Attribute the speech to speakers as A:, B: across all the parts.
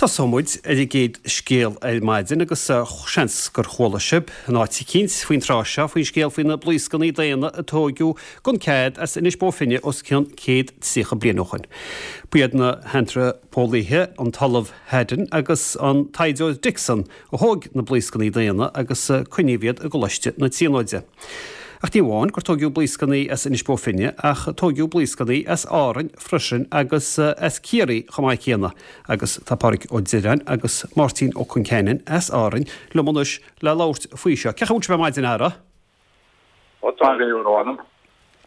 A: Tosóidh muid ar an gcéad scéal ar maidin agus seans gur chuala sibh in áit eicínt faoin tráth seo faoin scéal faoi na blaoscannaí daonna a tóigeadh gan cead as Inis Bó Finne os cionn 130 bliain ó shoin. Ba iad na hantraipeolaithe an tOllamh Haddon agus an taighdeoir Dixon a thóig na blaoscannaí daonna agus coinníodh iad i gColáiste na Tríonóide. Ach ní amháin gur tóigeadh blaoscannaí as Inis Bó Finne ach tóigeadh blaoscannaí as Árainn freisin agus as Ciarraí chomh maith céanna agus tá Pádraig Ó Direáin agus Máirtín Ó Concheanainn as Árainn liom anois le labhairt faoi seo. Cén chaoi a bhfuil sibh ar maidin, a fheara?
B: Ó tá mé ar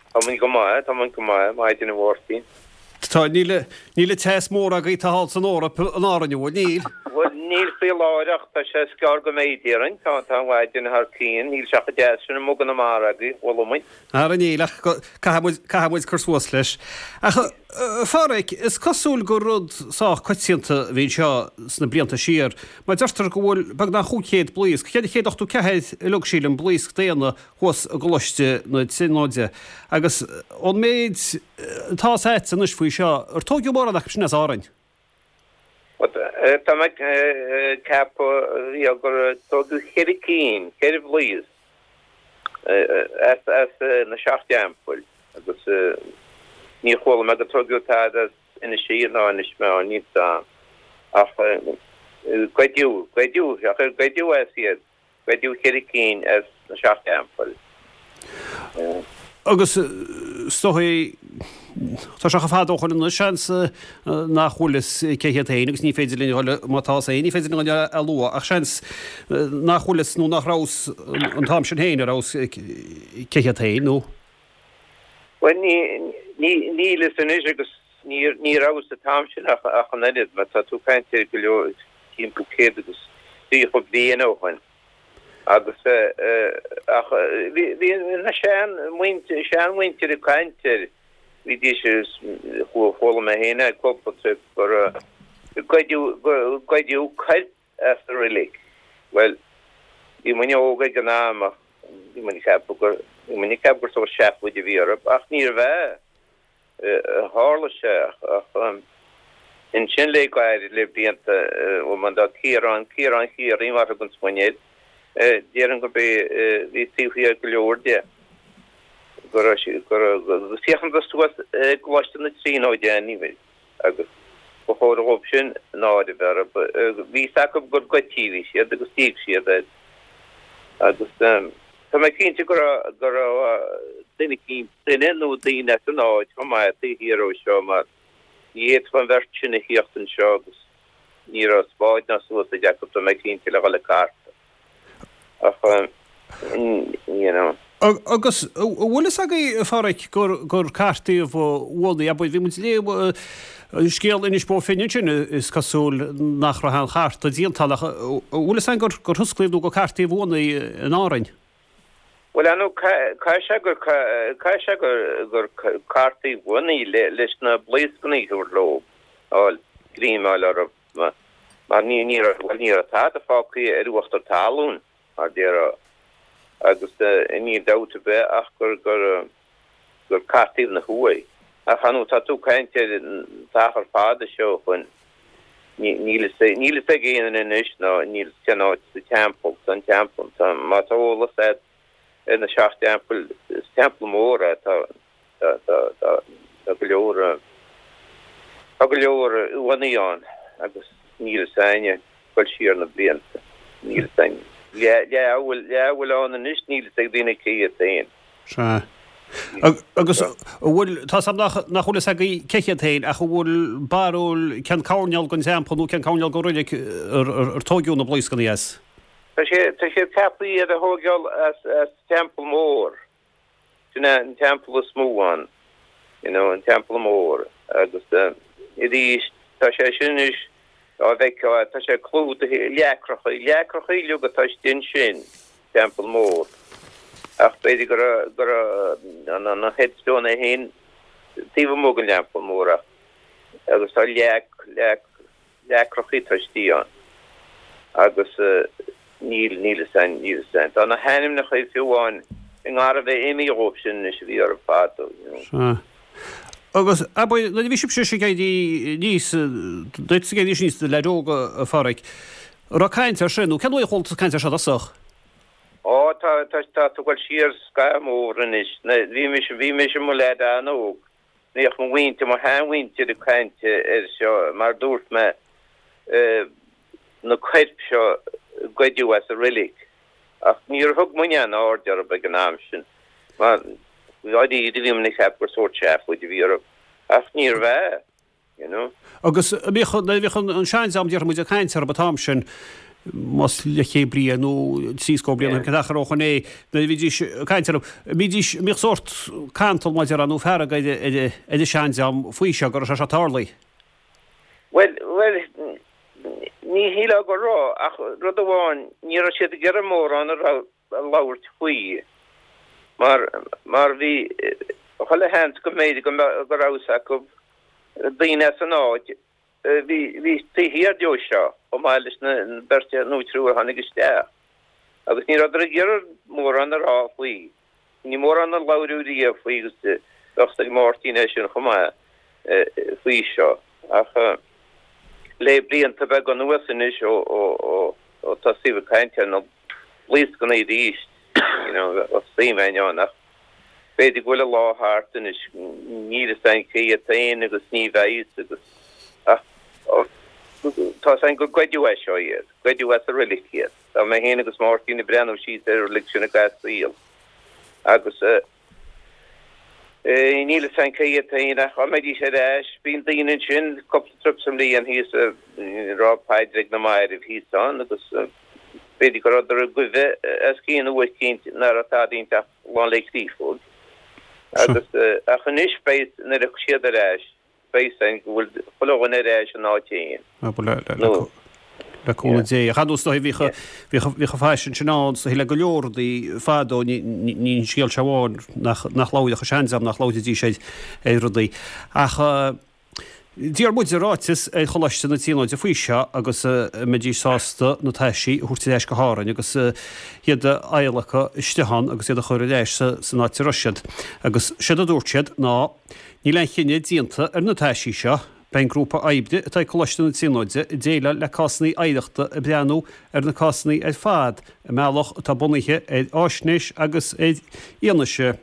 B: Tá muid go maith, tá muid go maith, maidin a Mháirtín.
A: Tá, níl, níl an teas mór agaibh atá thall san Eoraip in Árainn, an bhfuil? Níl.
B: Bhuel, níl faoi láthair ach tá sé is gearr go mbeidh, déarfainn. Tá, tá an mhaidin thar cionn, níl sé chomh deas sin amuigh gConamara agaibh, bhfuil muid?
A: Ara níl, ach caithfidh muid, caithfidh muid cur suas leis. Ach, a Phádraig, is cosúil gur rud sách coitianta a bhí anseo sna blianta siar, mar deirtear go bhfuil beagnach 500 blaosc, 484 uileag sílim, blaosc daonna thuas i gColáiste na Tríonóide. Agus ón méid atá 's a'dsa anois faoi seo, ar tóigeadh mórán acu sin as Árainn?
B: Tá mé ag ceapadh gur tóigeadh cheithre cinn, cheithre bhlaosc as na Seacht dTeampaill agus níor chuala mé gur tóigeadh tada as Inis Oírr ná Inis Meáin, níl 's a'm. Ach goideadh, goideadh, ach ar goideadh as iad? Goideadh cheithre cinn as na Seacht dTeampaill.
A: Agus is dóigh, tá sé chomh fada ó shoin anois, seans nach bhfuil fhios cé hiad féin agus ní féidir linn a dhul, má tá fhios féin, ní féidir linn a dhul a lua, ach seans nach bhfuil fhios nó nach raibh fhios an t-am sin féin a raibh fhios cé hiad féin, nó.
B: Bhuel, níl fhios anois agus ní raibh fhios an t-am sin ach an oiread, mar tá tú ag caint ar go leor, timpeall 130 bliain ó shoin. Agus, ach bhí na sean, seanmhuintir ag caint air, bhídís, chuala mé féin é cúpla trip, gur goideadh, goideadh coirp as an roilig. Bhuel, bhí muidne óg ag an am ach bhí muid ag ceapadh gur, bhí muid ag ceapadh gur sórt seafóid a bhí orthu, ach níorbh ea. Tharla sé ach ansin le gairid, le blianta, ó man dá Ciarán, Ciarán Chiarraí mar a thuganns muidne air, déarfainn gurb é bhí taobh thiar go leor de, go raibh sé, go raibh, agus féachann suas i gColáiste na Tríonóide anyway agus ba chóir dhóibh sin náire a bheith orthu. Bhí fhios acu gur goidtí a bhí siad agus d'íoc siad air agus tá mé cinnte go raibh, go raibh duine eicínt, duine nó daoine as an áit chomh maith taobh thiar dhó seo mar ní fhéadfadh an bheirt sin a thíocht anseo agus ní raibh spáid ná suasaid acu tá mé cinnte le dhul ag cartadh. Ach you know.
A: Agus an bhfuil fhios agaibh, a Pháraic, gur gur cartaíodh uannaí, abair, bhí muid ag léamh scéal Inis Bó Finne ansin, is cosúil nach raibh aon chartadh déanta ann ach an bhfuil fhios againn gur gur thionsclaíodh nó gur cartaíodh uannaí in Árainn?
B: Bhuel, ar ndóigh, caithfidh sé gur, caithfidh sé gur, gur cartaíodh uannaí leis na blaoscannaí a thabhairt leo, fháil, greim a fháil orthu, mar ní, ní raibh, bhuel, ní raibh tada fágtha ar uachtar talún, mar déarfá, agus níl dabht ar bith ach gur, gur, gur cartaíodh na huaigh. Ach ar ndóigh, tá tú ag caint ar an t-achar fada seo ó shoin. Níl fhios ag aon duine anois ná níl fhios cén áit sa teampall, tá an teampall, tá, má tá eolas agat ar na Seacht dTeampaill, is teampall mór é, tá, tá, tá, tá, tá go leor, tá go leor uaigheanna ann agus níl fhios éinne dul siar na blianta, níl fhios éinne. Leath a bhfuil, leath a bhfuil ann anois níl fhios ag daoine cé hiad féin.
A: Sea. Agus an bhfuil, tá 's a'm nach, nach bhfuil fhios agaibh cé hiad féin, ach an bhfuil barúil cén coirnéal den teampall nó cén coirnéal den roilig ar, ar, ar tóigeadh na blaoscannaí as?
B: Tá sé, tá sé ceaptha iad a thóigeáil as, as teampall mór. Sin é an teampall is mó ann, you know, an teampall mór. Agus arís, tá sé sin anois dá bhfeicfeá, tá sé clúdaithe i leacracha, leacracha uilig atá istigh ansin. Teampall Mór. Ach b'fhéidir go raibh, go raibh an, an headstone é féin taobh amuigh den Teampall Mór ach, agus tá leac, leac, leacrachaí atá istigh ann. Agus níl, níl fhios a'inn, níl fhios a'inn. Tá na hainmneacha fiú amháin i ngar a bheith imithe dhóibh sin anois a bhí orthu fadó, you know.
A: Sea. Agus, abair, nuair a bhí sibhse ag éirí aníos, duit ag éirí aníos i do leaid óg, a Pháraic, an raibh caint air sin, nó cén uair a chuala tú caint air seo i dtosach?
B: Ó, tá, tá, tá tú ag dul siar scaitheamh mór anois. Bhí mise, bhí mise i mo leaid an-óg. Bhíodh mo mhuintir, mo sheanmhuintir ag caint air seo, mar dúirt mé, na coirp seo a goideadh as an roilig. Ach níor thug muidne aon aird orthu ag an am sin, mar dháiríre bhí muid ag ceapadh gur sórt seafóid a bhí orthu. Ach níorbh ea, you know.
A: Agus an mbíodh, nuair a bhíodh an seandream, déarfaidh muid, ag caint orthu an t-am sin, más leathchéad bliain nó trí scór bliain ó shin, cén achar ó shoin é, nuair a bhídís ag caint orthu, an mbídís, an mbíodh sórt cantal, mar a déarfá, nó fearg ar, ar, ar an seandream faoi seo, go raibh sé seo tarlaithe?
B: Bhuel, bhuel, ní shílfeá go raibh, ach rud amháin, ní raibh siad ag iarraidh mórán a labhairt faoi, mar, mar bhí chuile sheans go mb'fhéidir go mbeadh, go raibh fhios acu, daoine as an áit, bhí, bhí taobh thiar deo seo, chomh maith leis na beirt nó triúr a tháinig isteach, agus ní rabhadar ag iarraidh mórán a rá faoi. Ní mórán a labhradh riamh faoi agus bheadh fhios ag Máirtín é sin chomh maith faoi seo. Ach le blianta beaga anuas anois ó tosaíodh ag caint ar na blaoscanna arís, you know, bheadh suim againn ann ach b'fhéidir go bhfuil a lá thart anois, níl fhios againn cé hiad féin agus ní bheidh fhios agus ach tá fhios againn gur goideadh é seo iad, goideadh as an roilig iad. Tá mé féin agus Máirtín ag breathnú síos ar an roilig sin i gcaitheamh saoil agus níl fhios againn cé hiad féin ach dá mbeidís ar ais, bíonn daoine ansin cúpla trip sa mbliain thíos ag rá paidir ag na mairbh thíos ann agus b'fhéidir go rabhadar i gcuimhne as cén uair eicínt nach raibh tada inti ach lán le créafóg agus ach anois beidh nuair a thiocfaidh siad ar ais Beidh fhios againn go bhfuil chuile dhuine ar ais ina áit féin.
A: Nó. Le cúnamh Dé. Ach ar ndóigh is dóigh bhíodh, bhíodh, bhíodh an faisean sin ann is dóigh le go leor rudaí fadó, ní, ní, ní an scéal seo amháin nach, nach labhródh an seandream, nach labhraídís ar, ar rudaí. Ach d'iarr muid ráiteas ar Choláiste na Tríonóide faoi seo agus an mbeidís sásta na taisí a thabhairt ar ais go hÁrainn agus iad a adhlacadh istigh ann agus iad a chur ar ais sa, san áit a raibh siad. Agus séard a dúirt siad ná. Níl aon chinneadh déanta ar na taisí seo. Beidh an grúpa oibre atá ag Coláiste na Tríonóide ag déileáil le cásanna oidhreachta ag breathnú ar na cásanna ar fad i mbealach atá bunaithe ar fháisnéis agus ar fhianaise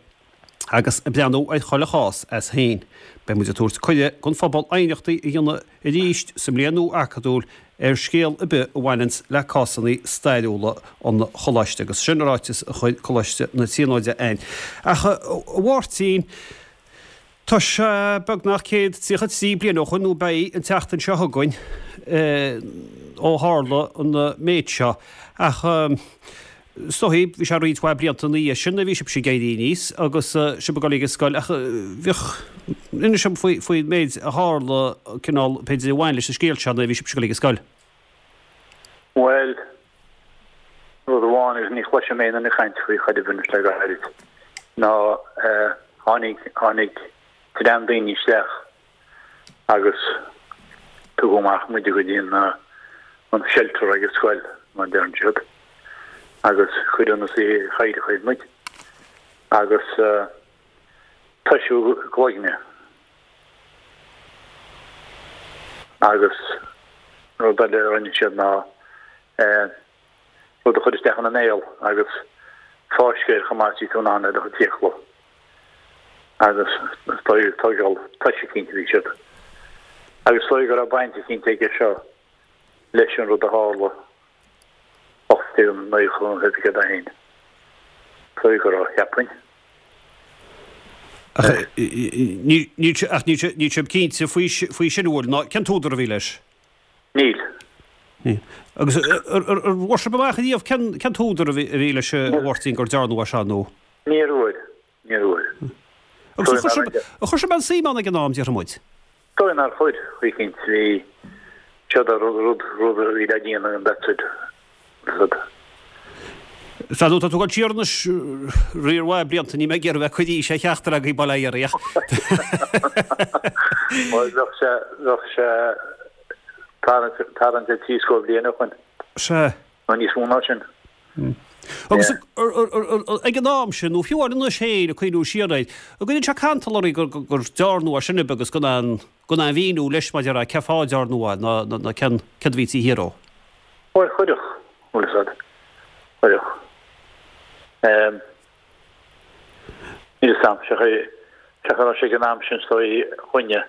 A: agus ag breathnú ar chuile chás as féin. Beidh muid ag tabhairt cuireadh don phobal aighneachtaí a dhéanamh arís sa mbliain nua acadúil ar scéal ar bith a bhaineanns le cásanna stairiúla an Choláiste agus sin ráiteas a chuir Coláiste na Tríonóide againn. Ach a Mháirtín, Tá sé beagnach 133 bliain ó shoin, nó beidh an tseachtain seo chugainn, ó tharla an méid seo. Ach is dóigh, bhí sé roinnt mhaith blianta ina dhiaidh sin nuair a bhí sibhse ag éirí aníos agus sibh ag dul ag an scoil ach bhíodh, inis dom faoin méid a tharla, cineál, b'fhéidir, a bhain leis an scéal seo nuair a bhí sibhse ag dul ag an scoil.
C: Bhuel, rud amháin, agus ní chloisim aon duine ag caint faoi chor ar bith anois le gairid, ná tháinig, tháinig dream daoine isteach agus tugadh amach muide go dtí an, an shelter ag an scoil, mar a deireann siad, agus cuireadh ina suí i gcathaoireacha muid agus toiseadh gcloigne. Agus rud eile a rinne siad ná rud a chur isteach ina mbéal agus fáisceadh air chomh maith is bhí tú in ann ar do chuid fiacla. Agus is dóigh tógáil toise eicínt a bhí siad. Agus is dóigh go raibh baint eicínt aige seo leis an rud a tharla 1891. Is dóigh go raibh, cheapfainn.
A: Ach níl sibh cinnte faoi sin, an bhfuil? Ná cén t-údar a bhí leis?
C: Níl.
A: Níl. Agus ar bhfuair sibh amach ariamh cén t-údar a bhí leis a Mháirtín gur dearnadh é seo nó?
C: Níor fhuair. Níor
A: fhuair. Agus ar chuir sibh aon suim ann ag an am, déarfaidh muid?
C: Dóigh nár chuir, chaoi eicínt, bhí siad ar rud, rud a bhí le déanamh and that's it, that's it.
A: Sea, nó tá tú ag dul siar anois riar mhaith blianta, níl mé ag iarraidh bheith ag cur aois ar cheachtar agaibh, bail ó Dhia oraibh, ach.
C: Bhuel, bheadh sé, bheadh sé tarraingt, tarraingt ar thrí scór bliain ó shoin.
A: Sea.
C: Nó níos mó ná sin.
A: Agus ag an am sin, nó fiú amháin anois féin, ag cuimhniú siar air, an gcuireann sé cantal oraibh gur dearnadh é sin agus gan aon gan aon mhíniú leis maidir le cén fáth a dearnadh é ná ná cén céard a bhí taobh thiar dhó?
C: Bhuel, chuirfeadh, bhfuil fhios a'd. Chuirfeadh. Níl fhios a'm, sé chaoi a raibh sé ag an am sin is dóigh dhuine,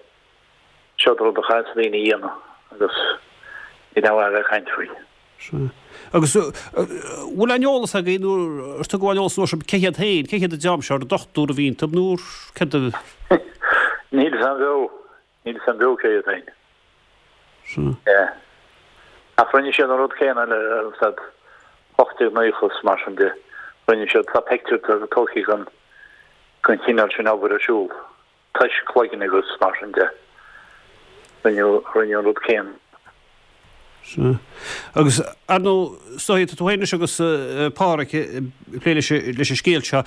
C: seod rud a chaithfeas daoine a dhéanamh agus níl aon mhaith a bheith ag caint faoi.
A: Sea. Agus bhfuil aon eolas agaibh nó ar tugadh aon eolas sibh cé hiad féin, cé hiad an dream seo, ar dochtúir a bhí iontu nó céard
C: a. Níl fhios a'm beo, níl fhios a'm beo cé hiad féin.
A: Sea.
C: Yeah. Ach rinne siad an rud céanna le, bhfuil fhios a'd, 1890 is mar sin de, rinne siad, tá pictiúr tógtha den, den chineál sin obair ar siúl. Toisc cloigne agus mar sin de. Rinneadh, rinneadh an rud céanna.
A: Sea. Agus, ar ndóigh, is dóigh, tá tú féin anois agus Pádhraic ag plé leis, leis an scéal seo.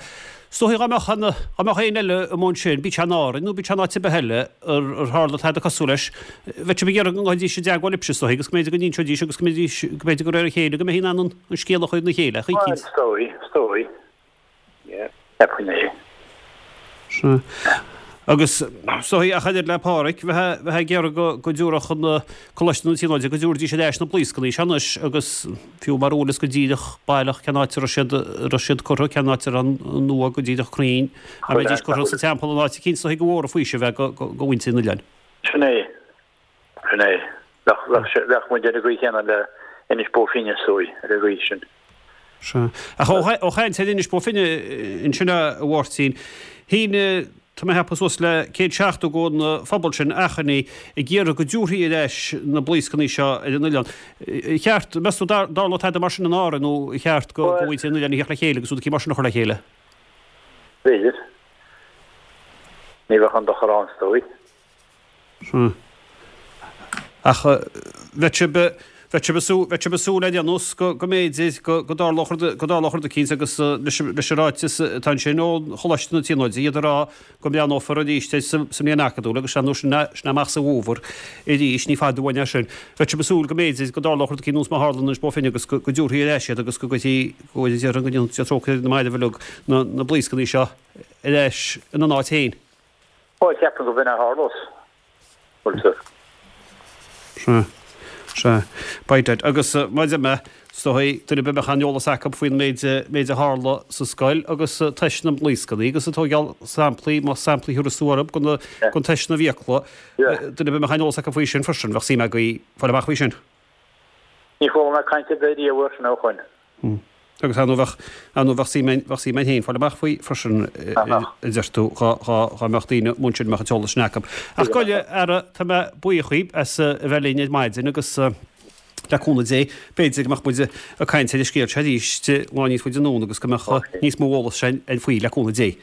A: Is dóigh dá mbeadh an, dá mbeadh éinne eile amuigh ansin, bíodh sé in Árainn nó bíodh sé in áit ar bith eile, ar, ar tharla tada cosúil leis, bheadh sibh ag iarraidh go ngabhfaidís i dteagmháil libhse, is dóigh, agus go mb'fhéidir go n-inseoidís agus go mbeidís, go mb'fhéidir go réir a chéile go mbeifí in ann an, an scéal a chur ina chéile,
C: Bhuel,
A: choícínt.
C: is dóigh, is dóigh. Cheapfainn é.
A: Sea. Agus is dóigh, ach oiread le Pádhraic, bheifeá ag iarraidh go go dtabharfadh an Coláiste na Tríonóide, go dtabharfaidís ar ais na blaoscanna seo anois agus fiú mara bhfuil fhios go díreach baileach cén áit a raibh siad, a raibh siad curtha, cén áit a raibh an nua go díreach cruinn, dá mbeidís curtha sa teampall in áit eicínt, is dóigh gur mhór an faoiseamh é go go mhuintir an oileáin.
C: Sin é. Sin é. Bheadh muid ar an gcaoi chéanna le Inis Bó Finne, is dóigh, ar an gcaoi sin.
A: Sea. Ach ó chaint ar Inis Bó Finne ansin, a Mháirtín, shínigh, tá mé a cheapadh, suas le 170 den phobal sin achainí ag iarraidh go dtabharfaí ar ais na blaoscanna seo ar an oileán. Ar cheart, meas tú, an dtarlódh tada mar sin in Árainn nó ar cheart do mhuintir an oileáin a theacht le chéile agus rud eicínt mar sin a chur le chéile?
C: B'fhéidir. Ní bheadh aon dochar ann, is dóigh.
A: Sea. Ach bheadh sibh, bheadh sibh ag súil, bheadh sibh ag súil ar aon nós go, go mb'fhéidir go, go dtarlódh rud, go dtarlódh rud eicínt agus leis, leis an ráiteas atá ansin ó Choláiste na Tríonóide, iad ag rá go mbreathnófar arís air sa, sa mbliain acadúil agus ar ndóigh sin é, sin é amach sa bhfómhar arís, ní fada uainn é sin. Bheadh sibh ag súil go mb'fhéidir go dtarlódh rud eicínt nós mar a tharla in Inis Bó Finne agus go, go dtabharfaí ar ais iad agus go gcuirfí, go déarfainn go ndéanfaí trócaire ar na mairbh uilig, na, na blaoscanna seo ar ais ina n-áit féin.
C: Bhuel, ceapaim go b'in a tharlós, bhfuil
A: Sea. Sea. By dad. Agus maidir mé, is dóigh, duine ar bith a mbeadh aon eolas acu faoin méid, méid a tharla sa scoil agus teist na mblaoscanna agus ag tógáil samplaí, más samplaí a thabharfas tú orthu, den, den teist na bhfiacla, duine ar bith a mbeadh aon eolas acu faoi sin freisin, bheadh suim againn fáil amach faoi sin.
C: Ní chuala mé caint ar bith riamh air sin ó shoin.
A: Agus ar ndóigh bheadh, ar ndóigh bheadh suim againn, bheadh suim againn féin fáil amach faoi freisin, a deir tú, dhá, dhá, dhá mbeadh daoine amuigh ansin a mbeadh an t-eolas sin acu. Ach gabh i leith, a fheara, tá mé buíoch dhaoib as a bheith linn ar maidin agus le cúnamh Dé, b'fhéidir go mbeadh muid ag caint ar an scéal seo arís lá níos faide anonn agus go mbeadh níos mó eolas againn faoi, le cúnamh Dé.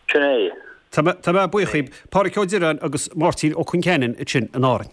C: Sin é.
A: Tá mé, tá mé buíoch dhaoib. Pádraic Ó Direáin agus Máirtín Ó Concheanainn ansin in Árainn.